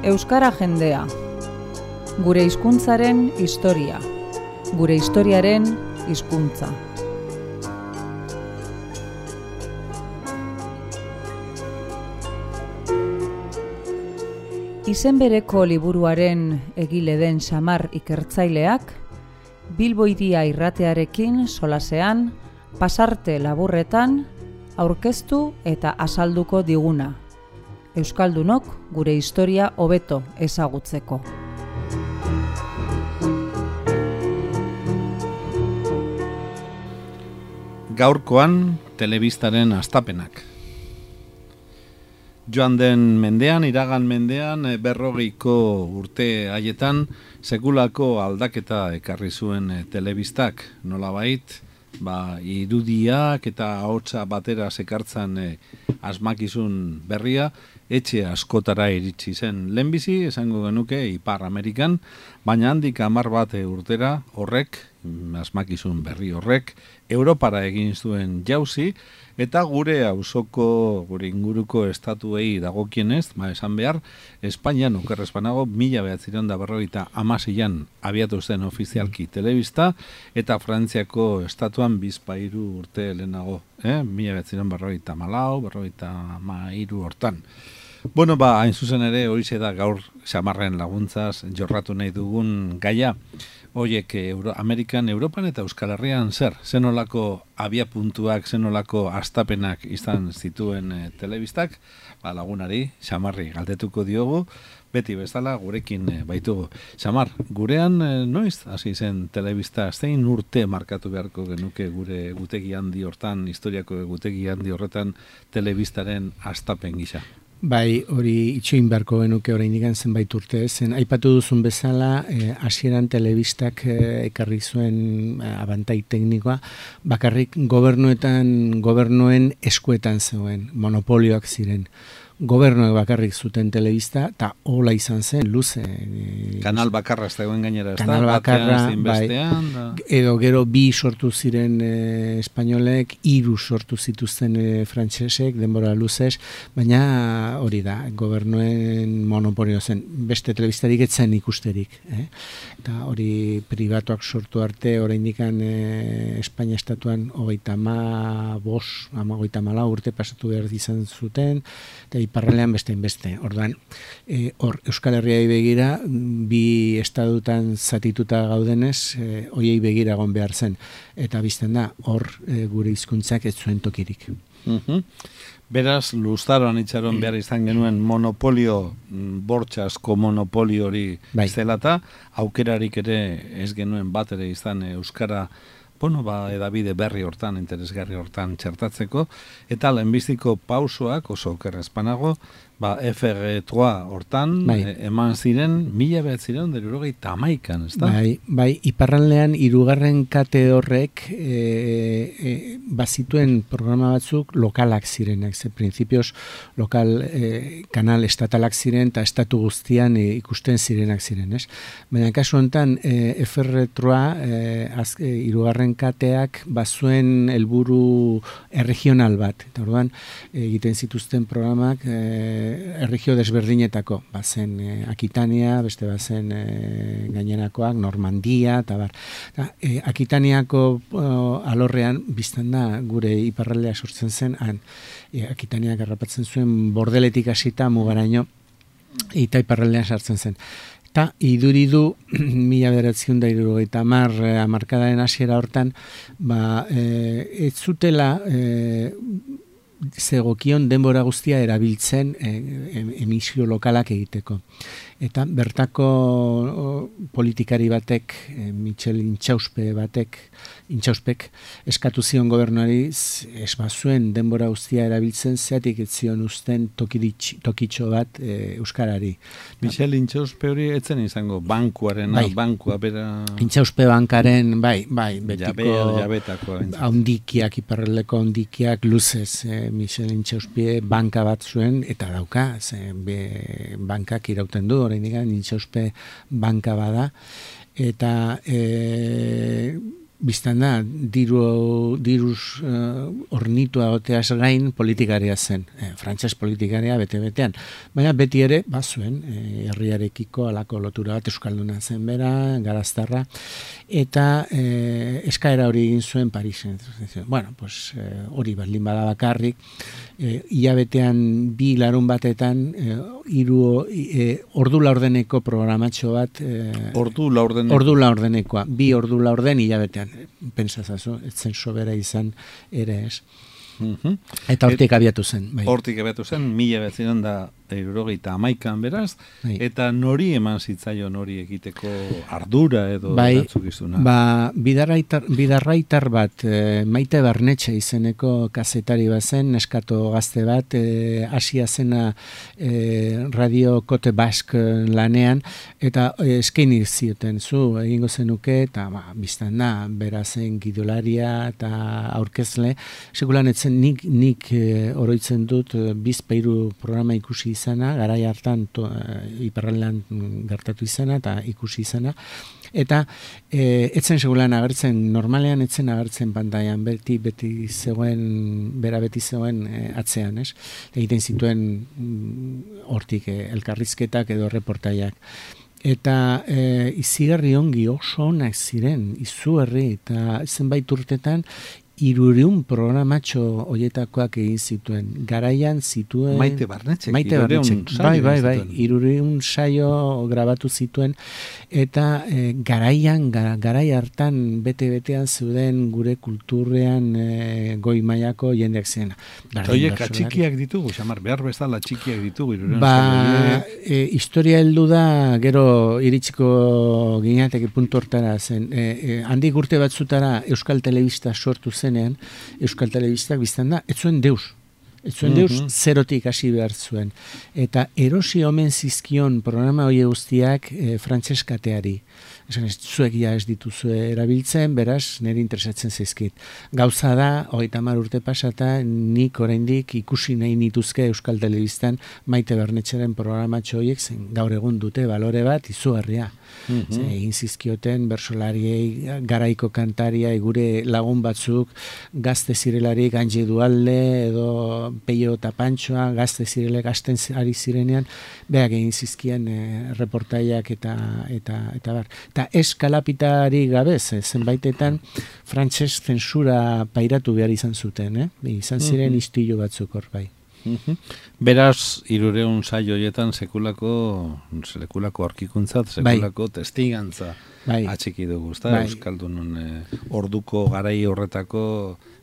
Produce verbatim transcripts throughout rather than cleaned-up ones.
Euskara jendea. Gure hizkuntzaren historia. Gure historiaren hizkuntza. Izen bereko liburuaren egile den Xamar ikertzaileak, Bilbo Hiria irratearekin solasean, pasarte laburretan, aurkeztu eta azalduko diguna. Euskaldunok gure historia hobeto ezagutzeko. Gaurkoan telebistaren hastapenak. Joan den mendean, iragan mendean, berrogeiko urte haietan, sekulako aldaketa ekarri zuen telebistak, nolabait, ba, irudiak eta ahotsa batera sekartzan e, asmakizun berria, etxe askotara iritsi zen lehenbizi, esango genuke Ipar Amerikan, baina handik hamar bat urtera horrek, asmakizun berri horrek, Europara egin zuen jauzi, eta gure auzoko, gure inguruko estatuei dagokienez, ba esan behar, Espainian okerrez banago, mila behatzireun da berrogeita hamaseian abiatu zen ofizialki telebista, eta Frantziako estatuan bizpahiru urte lehenago, eh? mila behatzireun berrogeita hamalau, berrogeita hamairu hortan. Bueno, ba, hain zuzen ere, horixe da gaur Xamarren laguntzaz jorratu nahi dugun gaia. Hoiek Euro, Amerikan, Europan eta Euskal Herrian zer? Zenolako abiapuntuak, zenolako hastapenak izan zituen e, telebistak? Ba, lagunari, Xamarri galdetuko diogu, beti bezala gurekin e, baitugu. Xamar, gurean e, noiz hasi zen telebista, zein urte markatu beharko genuke gure gutegi handi hortan, historiako gutegi handi horretan telebistaren hastapen gisa? Bai, hori itxoin beharko genuke oraindik zenbait urte, zen aipatu duzun bezala, hasieran eh, telebistak eh, ekarri zuen eh, abantai teknikoa, bakarrik gobernuetan, gobernuen eskuetan zegoen, monopolioak ziren. Gobernuek bakarrik zuten telebista, eta hola izan zen, luze. E, kanal bakarra ez dagoen gainera, ez da? Kanal bakarra, bai, da. Edo gero bi sortu ziren e, espainolek, hiru sortu zituzten e, frantsesek, denbora luzez, baina hori da, gobernuen monopolio zen, beste telebistarik etzen ikusterik. Eh? Eta hori pribatuak sortu arte, oraindik e, Espainia estatuan hogeita ma bos, ama hogeita mala urte pasatu behar izan zuten, eta iparralean bestein beste. Orduan, e, hor Euskal Herriai begira, bi estadutan zatituta gaudenez, e, hoiei begira egon behar zen. Eta bizten da, hor e, gure hizkuntzak ez zuen tokirik. Uh-huh. Beraz, luzaroan itxaron behar izan genuen monopolio, bortxasko monopolio hori bai. Zelata, aukerarik ere ez genuen bat ere izan Euskara, bueno, ba, edabide berri hortan, interesgarri hortan txertatzeko, eta lehenbiziko pausoak oso okerrezpanago, ba, F G trois hortan bai. e, eman ziren, mila behatzireun hirurogeita hamaikan, ez da? Bai, bai, iparraldean hirugarren kate horrek e, e, bazituen programa batzuk lokalak zirenak, ze printzipioz lokal e, kanal estatalak ziren, eta estatu guztian e, ikusten zirenak ziren, ez? Baina kasu honetan, e, F G trois e, az, e, hirugarren kateak bazuen helburu erregional bat, eta orduan egiten zituzten programak e, erregio desberdinetako, bazen e, Akitania, beste bazen e, gainerakoak, Normandia, eta bar. Da, e, Akitaniako o, alorrean, biztan da, gure iparraldea sortzen zen, han, e, Akitaniak harrapatzen zuen bordeletik hasita mugaraino, eta iparraldean sartzen zen. Eta iduridu, mila bederatziehun eta hirurogeita hamar hamarkadaren hasiera hortan, ba, e, ez zutela e, zegokion denbora guztia erabiltzen e, emisio lokalak egiteko. Eta bertako o, politikari batek, e, Michel Intxauspe batek, Intxauspek eskatu zion gobernuari ez bazuen denbora guztia erabiltzen, zeatik ez zion uzten tokiritx, tokitxo bat e, euskarari. Michel Intxauspe hori etzen izango bankuaren, bai. bankua bera... Intxauspe bankaren, bai, bai, betiko... Jabe, jabetako. Haundikiak, iparraldeko haundikiak luzez, e, Michel Intxauspe banka bat zuen, eta dauka, ze, be, bankak irauten du, oraindik Intxauspe banka bada, eta e, biztan da, diru, diruz uh, ornitua oteaz gain politikaria zen, e, frantses politikaria bete-betean. Baina beti ere, bazuen, e, herriarekiko alako lotura bat euskalduna zen bera, garaztarra, eta e, eskaera hori egin zuen Parisen. Bueno, pues, e, hori baldin bada bakarrik, e, ilabetean bi larun batetan, e, iru, e, ordu laurdeneko programatxo bat, e, ordu laurdeneko. Ordu laurdenekoa, bi ordu laurden hilabetean. Pentsazazu, ez zen sobera izan ere ez. Uh-huh. Eta hortik abiatu zen. Bai. Hortik abiatu zen, mila beziren da eurogeita hamaikan beraz, bai. Eta nori eman zitzaio nori egiteko ardura edo bai, erantzukizuna? Ba, bidarraitar, bidarraitar bat, e, Maite Barnetxe izeneko kazetari bat zen, neskato gazte bat, e, Asia zena e, Radio Kote Bask lanean, eta e, eskaini zioten zu, egingo zenuke, eta ba, biztan da, berazen gidolaria eta aurkezle, sekulan etzen nik, nik e, oroitzen dut, e, bizpeiru programa ikusi izana, garai hartan to, uh, iparraldean gertatu izana eta ikusi izana, eta e, etzen segulan agertzen, normalean etzen agertzen pantailan, beti beti zegoen, bera beti zegoen e, atzean, ez? Egiten zituen hortik e, elkarrizketak edo reportaiak. Eta e, izigarri ongi oso onak ziren, izugarri, eta zenbait urtetan, hirureun programatxo hoietakoak egin zituen. Garaian zituen... Maite Barnetxek. Maite Barnetxek. Bai, bai, bai. hirureun saio grabatu zituen. Eta e, garaian, gara, garai hartan, bete-betean zeuden gure kulturrean e, goi mailako jendeak zen. Oiek, txikiak ditugu, xamar, behar bezala txikiak ditugu. Ba, e, historia heldu da, gero iritsiko gineateke puntu hortara zen. E, e, handik urte batzutara Euskal Telebista sortu zen, zenean, Euskal Telebistak biztan da, ez zuen deus. Ez zuen deus, mm-hmm. zerotik hasi behar zuen. Eta erosi omen zizkion programa hori guztiak e, frantseskateari. Esan ez, zuek ja ez dituzue erabiltzen, beraz, nire interesatzen zaizkit. Gauza da, hogeita hamar urte pasata, nik oraindik ikusi nahi nituzke Euskal Telebistan Maite Barnetxeren programatxo horiek, zen gaur egun dute balore bat, izugarria. Mm-hmm. Egin zizkioten, bersolariei, garaiko kantariai, gure lagun batzuk, gazte zirelarik, Angie Dualde, edo Peio eta Pantxoa, gazte zirele, gazten ari zirenean, beak egin zizkien e, reportaiak eta, eta, eta bar. Eta eskalapitari gabe, zenbaitetan frantses zentsura pairatu behar izan zuten, eh? Izan ziren mm-hmm. istilu batzuk hor bai. Mm-hmm. Beraz, hirureun saio hoietan sekulako, sekulako aurkikuntzat, sekulako bai. Testigantza bai. Atxiki dugu, ezta? Bai. Euskaldunon eh, orduko garai horretako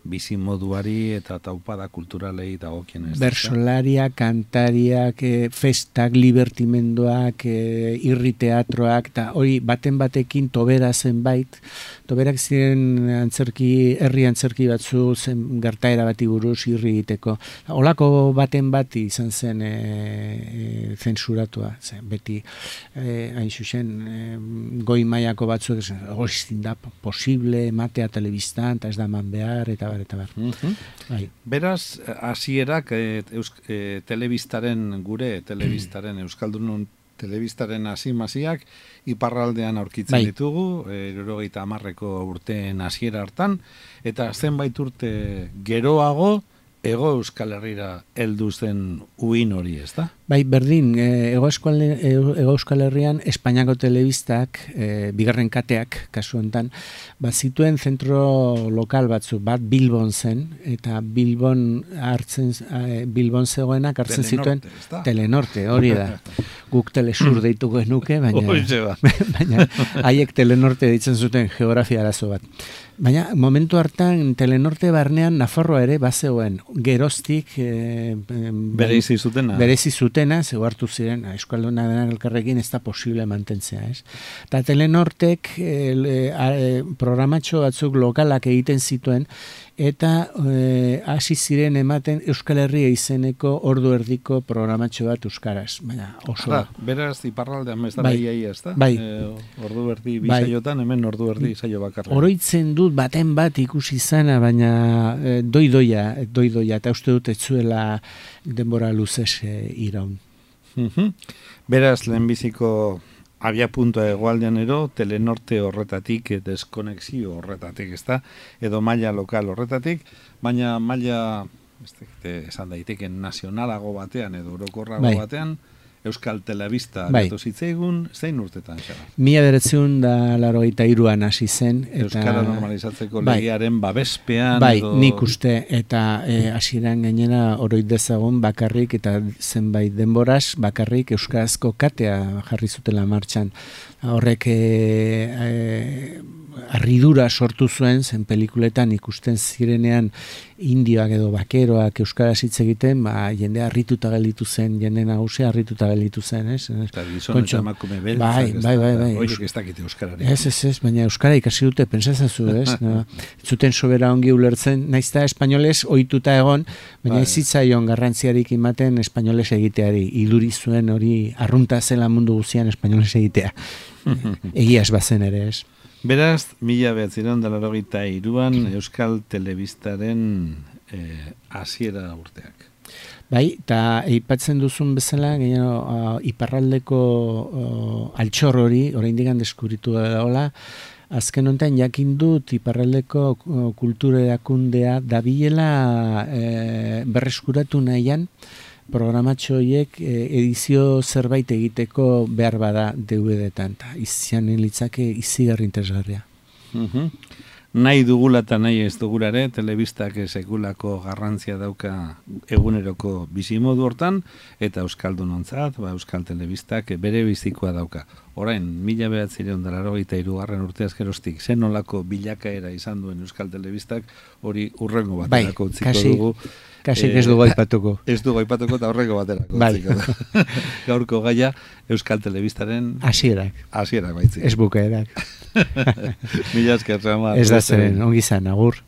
bizimoduari eta taupada kulturalei dagokien ez. Bersolariak, kantariak, e, festak, libertimenduak, e, irri teatroak, eta hori baten batekin tobera zenbait, toberak ziren antzerki, herri antzerki batzu zen gertaera bati buruz irri egiteko. Olako baten bati izan zen e, e, zensuratua, zen, beti e, hain zuzen e, goi mailako batzuk, hori da posible, ematea telebistan, eta ez da man behar, eta bar, eta bar. Mm-hmm. Bai. Beraz, hasierak e, e, telebistaren, gure telebistaren, Euskaldunon telebistaren hasimaziak iparraldean aurkitzen bai. Ditugu, hirurogeita hamarreko urteen hasiera hartan, eta zenbait urte geroago, Ego Euskal Herrira heldu zen uin hori, ez da? Bai, berdin, Ego Euskal, Ego Euskal Herrian Espainiako telebistak, e, bigarren kateak, kasu honetan, bat zituen zentro lokal batzu, bat Bilbon zen, eta Bilbon hartzen, e, Bilbon zegoenak hartzen zituen Telenorte, hori da. Guk Telesur deitu genuke, baina, baina haiek Telenorte deitzen zuten geografia arazo bat. Baina momentu hartan Telenorte barnean Nafarroa ere bazegoen, geroztik e, berezi zutena. Berezi zutena, zeu hartu ziren, euskalduna denak elkarrekin ez da posible mantentzea, ez? Eta Telenortek e, e, programatxo batzuk lokalak egiten zituen, eta hasi e, ziren ematen Euskal Herria izeneko ordu erdiko programatxo bat euskaraz. Baina oso... Ara, beraz, iparraldean ez da bai, behiai ez da? Bai. E, ordu erdi bisaiotan, hemen ordu erdi saio bakarra. Oroitzen dut baten bat ikusi zana, baina e, doidoia, doidoia, eta uste dut ez zuela denbora luzez e, iraun. Mm-hmm. Beraz, lehenbiziko abia puntua egoaldean ero, telenorte horretatik, deskonexio horretatik, ez da, edo maila lokal horretatik, baina maila, ez dakite, esan daiteken nazionalago batean, edo orokorrago bai. batean, Euskal Telebista bai. gatu zitzaigun, zein urtetan, xara? Mila beretzun da larogeita iruan hasi zen. Eta, Euskara normalizatzeko bai. legearen babespean. Bai, edo... nik uste, eta hasieran e, gainera oroit dezagun bakarrik, eta zenbait denboraz bakarrik euskarazko katea jarri zutela martxan. Horrek e, e, arridura sortu zuen, zen pelikuletan ikusten zirenean indioak edo bakeroak euskaraz hitz egiten, ba, jende harrituta gelditu zen, jende nagusia harrituta gelditu zen, ez? Eta gizon eta emakume beltzak, bai, bai, bai, bai. Horiek ez dakite euskarari. Ez, ez, ez, baina euskara ikasi dute, pentsazazu, ez? No? Zuten sobera ongi ulertzen, naiz eta espainoles ohituta egon, baina bai. Ez zitzaion garrantziarik ematen espainoles egiteari, iluri zuen hori arrunta zela mundu guztian espainoles egitea. Egiaz bazen ere, ez? Beraz, mila behatzireun da laurogeita hiruan Euskal Telebistaren eh, hasiera urteak. Bai, eta aipatzen duzun bezala, gehiago, uh, iparraldeko uh, altxor hori, oraindik deskubritu da hola, azken honetan jakin dut iparraldeko uh, kultura erakundea dabilela eh, berreskuratu nahian, programatxo horiek edizio zerbait egiteko behar bada D V D-etan, eta izanen litzake izigarri interesgarria. Uh-huh. Nahi dugula eta nahi ez dugulare, telebistak sekulako garrantzia dauka eguneroko bizimodu hortan, eta euskaldunontzat, ba, Euskal Telebistak bere bizikoa dauka. Orain, mila behatzireun da laurogeita hirugarren urteaz geroztik, zen nolako bilakaera izan duen Euskal Telebistak, hori urrengo baterako bai, utziko kasi, dugu. Kasik ez dugu aipatuko. Ez dugu aipatuko eta horreko baterako. Bai. Gaurko gaia Euskal Telebistaren hasierak. Hasierak baitzik. Ez bukaerak. Mila esker, Samar. Ez da zeren, ongi zan, agur.